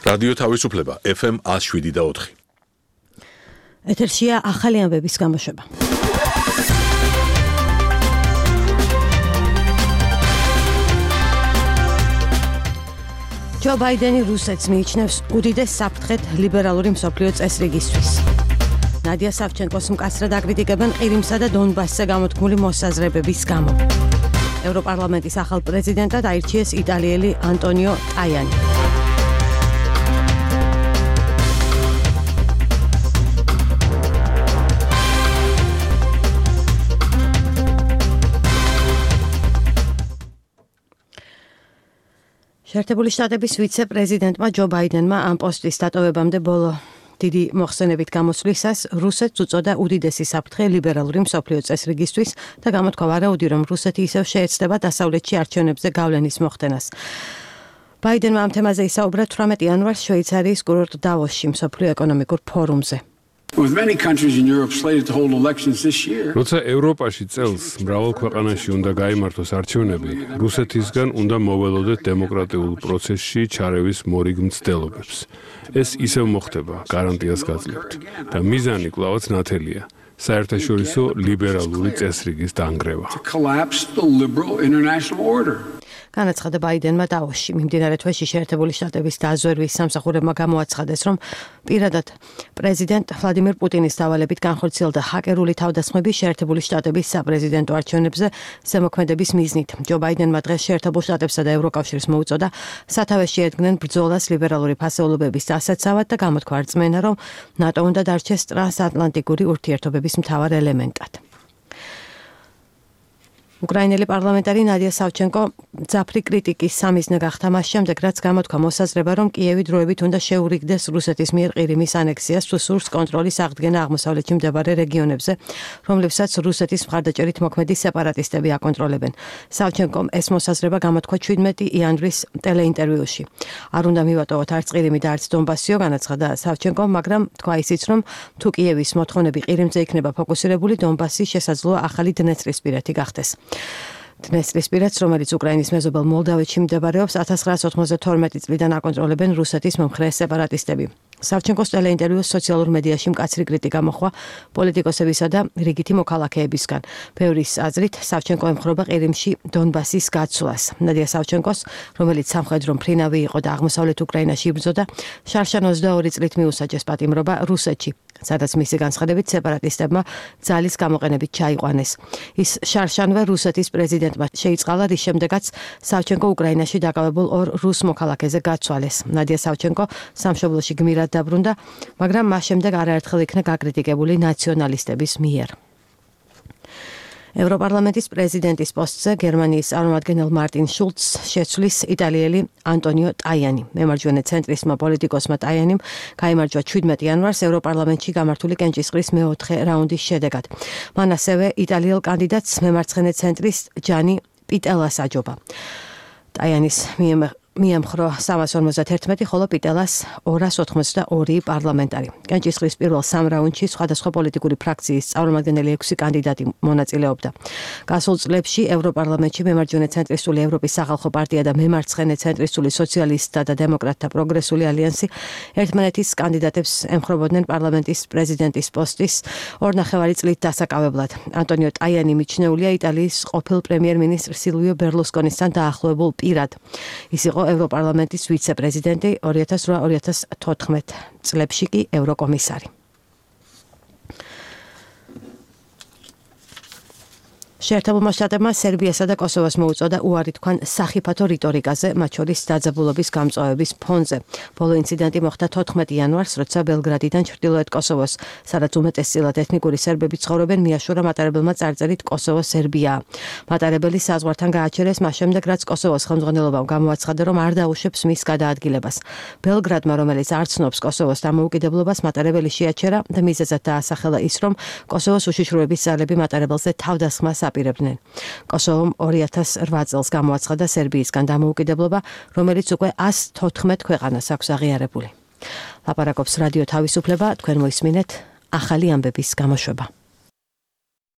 რადიო თავისუფლება FM 107.4. ეთერშია ახალი ამბების გამოშვება. ჯო ბაიდენი რუსეთს მიიჩნევს უდიდეს საფრთხედ ლიბერალური მსოფლიო წესრიგისთვის. ნადია სავჩენკოს მკაცრად აკრიტიკებენ ყირიმსა და დონბასზე გამოთქმული მოსაზრებების გამო. ევროპარლამენტის ახალ პრეზიდენტად აირჩიეს იტალიელი ანტონიო ტაიანი. შეერთებული შტატების ვიცე-პრეზიდენტმა ჯო ბაიდენმა ამ პოსტის დატოვებამდე ბოლო დიდი მოხსენებით გამოსვლისას რუსეთს უწოდა უდიდესი საფრთხე ლიბერალური მსოფლიო წესრიგისთვის და გამოთქვა ვარაუდი, რომ რუსეთი ისევ შეეცდება დასავლეთში არჩევნებზე გავლენის მოხდენას. ბაიდენმა ამ თემაზე ისაუბრა 18 იანვარს შვეიცარიის კურორტ დავოსში მსოფლიო ეკონომიკურ ფორუმზე. როცა ევროპაში წელს მრავალ ქვეყანაში უნდა გაიმართოს არჩევნები, რუსეთისგან უნდა მოველოდეთ დემოკრატიულ პროცესში ჩარევის მორიგ მცდელობებს. ეს ისევ მოხდება, გარანტიას გაძლევთ და მიზანი კვლავაც ნათელია. საერთაშორისო ლიბერალური წესრიგის დანგრევა. განაცხადა ბაიდენმა დავოსში. მიმდინარე თვეში შეერთებული შტატების დაზვერვის სამსახურებმა გამოაცხადეს, რომ პირადად პრეზიდენტ ვლადიმერ პუტინის დავალებით განხორციელდა ჰაკერული თავდასხმები შეერთებული შტატების საპრეზიდენტო არჩევნებზე ზემოქმედების მიზნით. ჯო ბაიდენმა დღეს შეერთებულ შტატებსა და ევროკავშირს მოუწოდა სათავეში ედგნენ ბრძოლას ლიბერალური ფასეულობების დასაცავად და გამოთქვა რწმენა, რომ ნატო უნდა დარჩეს ტრანსატლანტიკური ურთიერთობების მთავარ ელემენტად. უკრაინელი პარლამენტარი ნადია სავჩენკო ძაფრი კრიტიკის სამიზნე გახდა მას შემდეგ, რაც გამოთქვა მოსაზრება, რომ კიევი დროებით უნდა შეურიგდეს რუსეთის მიერ ყირიმის ანექსიას თუ სურს კონტროლის აღდგენა აღმოსავლეთში მდებარე რეგიონებზე, რომლებსაც რუსეთის მხარდაჭერით მოქმედი სეპარატისტები აკონტროლებენ. სავჩენკომ ეს მოსაზრება გამოთქვა 17 იანვრის ტელეინტერვიუში. არ უნდა მივატოვოთ არც ყირიმი და არც დონბასიო, განაცხადა სავჩენკომ, მაგრამ თქვა ისიც, რომ თუ კიევის მოთხოვნები ყირიმზე იქნება ფოკუსირებული, დონბასი შესაძლოა ახალი დნესტრისპირეთი გახდეს. დნესტრისპირეთს, რომელიც უკრაინის მეზობელ მოლდავეთში მდებარეობს, 1992 წლიდან აკონტროლებენ რუსეთის მომხრე სეპარატისტები. სავჩენკოს ტელეინტერვიუს სოციალურ მედიაში მკაცრი კრიტიკა მოჰყვა პოლიტიკოსებისა და რიგითი მოქალაქეებისგან. ბევრის აზრით, სავჩენკო ემხრობა ყირიმში დონბასის გაცვლას. ნადია სავჩენკოს, რომელიც სამხედრო მფრინავი იყო და აღმოსავლეთ უკრაინაში იბრძოდა, შარშან 22 წლით მიუსაჯეს პატიმრობა რუსეთში, სადაც მისი განცხადებით სეპარატისტებმა ძალის გამოყენებით ჩაიყვანეს. ის შარშანვე რუსეთის პრეზიდენტმა შეიწყალა, რის შემდეგაც სავჩენკო უკრაინაში დაკავებულ ორ რუს მოქალაქეზე გაცვალეს. ნადია სავჩენკო სამშობლოში გმირად დაბრუნდა, მაგრამ მას შემდეგ არაერთხელ იქნა გაკრიტიკებული ნაციონალისტების მიერ. ევროპარლამენტის პრეზიდენტის პოსტზე გერმანიის წარმომადგენელ მარტინ შულცს შეცვლის იტალიელი ანტონიო ტაიანი. მემარჯვენე ცენტრისტმა პოლიტიკოსმა ტაიანიმ გაიმარჯვა 17 იანვარს ევროპარლამენტში გამართული კენჭისყრის მეოთხე რაუნდის შედეგად. მან ასევე იტალიელ კანდიდატს მემარცხენე ცენტრისტ ჯანი პიტელას აჯობა. ტაიანის მიემხრო 351, ხოლო პიტელას 282 პარლამენტარი. კენჭისყრის პირველ სამ რაუნდში სხვადასხვა პოლიტიკური ფრაქციის წარმომადგენელი 6 კანდიდატი მონაწილეობდა. გასულ წლებში ევროპარლამენტში მემარჯვენე ცენტრისტული ევროპის სახალხო პარტია და მემარცხენე ცენტრისტული სოციალისტთა და დემოკრატთა პროგრესული ალიანსი ერთმანეთის კანდიდატებს ემხრობოდნენ პარლამენტის პრეზიდენტის პოსტის 2.5 წლით დასაკავებლად. ანტონიო ტაიანი მიჩნეულია იტალიის ყოფილ პრემიერ-მინისტრ სილვიო ბერლუსკონისთან დაახლოებულ პირად. ის იყო ევროპარლამენტის ვიცე-პრეზიდენტი 2008-2014 წლებში კი ევროკომისარი. შეერთებულმა შტატებმა სერბიასა და კოსოვოს მოუწოდა უარი თქვან სახიფათო რიტორიკაზე, მათ შორის დაძაბულობის გამწვავების ფონზე. ბოლო ინციდენტი მოხდა 14 იანვარს, როცა ბელგრადიდან ჩრდილოეთ კოსოვოს, სადაც უმეტესწილად ეთნიკური სერბები ცხოვრობენ, მიაშურა მატარებელმა წარწერით კოსოვო სერბიაა. მატარებელი საზღვართან გააჩერეს მას შემდეგ, რაც კოსოვოს ხელმძღვანელობამ გამოაცხადა, რომ არ დაუშვებს მის გადაადგილებას. ბელგრადმა, რომელიც არ ცნობს კოსოვოს დამოუკიდებლობას, მატარებელი შეაჩერა და მიზეზად დაასახელა ის, რომ კოსოვოს უშიშროების ძალები მატარებელზე თავდასხმას აპირებდნენ. კოსოვომ 2008 წელს გამოაცხადა სერბიისგან დამოუკიდებლობა, რომელიც უკვე 114 ქვეყანას აქვს აღიარებული. ლაპარაკობს რადიო თავისუფლება, თქვენ მოისმინეთ ახალი ამბების გამოშვება.